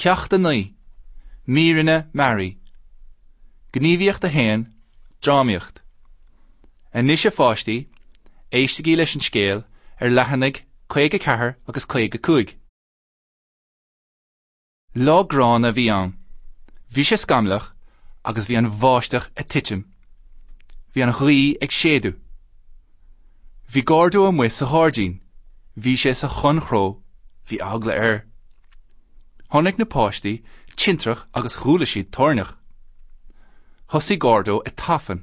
Ceacht 9, Míreanna Mearaí. Gníomhaíocht 1, Drámaíocht. Anois a pháistí, éistigí leis an scéal ar leathanaigh 54 agus 55. Lá gránna a bhí ann. Bhí sé scamallach agus bhí an bháisteach ag titim. Bhí an ghaoth ag séideadh. Bhí Gordo amuigh sa ghairdín. Bhí sé sa chonnchró. Bhí eagla air. Chonaic na páistí tintreach agus chuala siad toirneach. Thosaigh Gordo ag tafann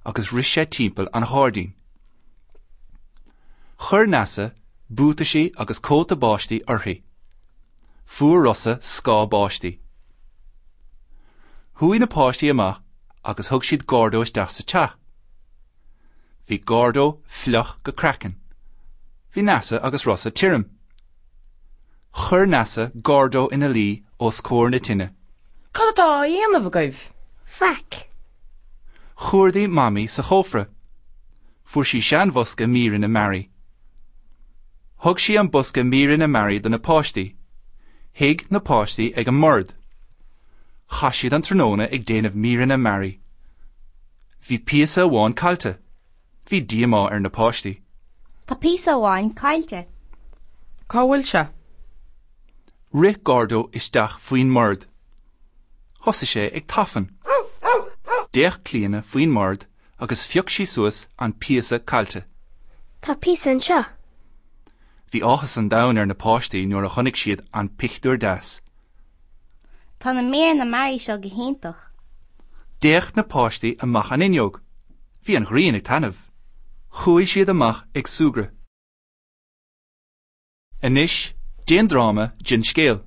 agus rith sé timpeall an ghairdín. Chuir Neasa buataisí agus cóta báistí uirthi. Fuair Rosa scáth báistí. Chuaigh na páistí amach agus thug siad Gordo isteach sa teach. Bhí Gordo fliuch go craiceann. Bhí Neasa agus Rosa tirim. Chuir Neasa Gordo ina luí os comhair na tine. Cad atá á dhéanamh agaibh? Faic. Chuardaigh Mamaí sa chófra. Fuair sí seanbhosca míreanna mearaí. Thug sí an bosca míreanna mearaí do na páistí. Shuigh na páistí ag an mbord. Chaith siad an tráthnóna ag déanamh míreanna mearaí. Bhí píosa amháin caillte. Bhí díomá ar na páistí. Tá píosa amháin caillte. Cá bhfuil sé? Rith Gordo isteach faoin mbord. Thosaigh sé ag tafann. D'fhéach Clíona faoin mbord agus phioc sí suas an píosa caillte. Tá píosa anseo. Bhí áthas an domhain ar na páistí nuair a chonaic siad an pictiúr deas. Tá na míreanna mearaí seo go hiontach. D'fhéach na páistí amach an fhuinneog. Bhí an ghrian ag taitneamh. Chuaigh siad amach ag súgradh. Anois, déan dráma den scéal.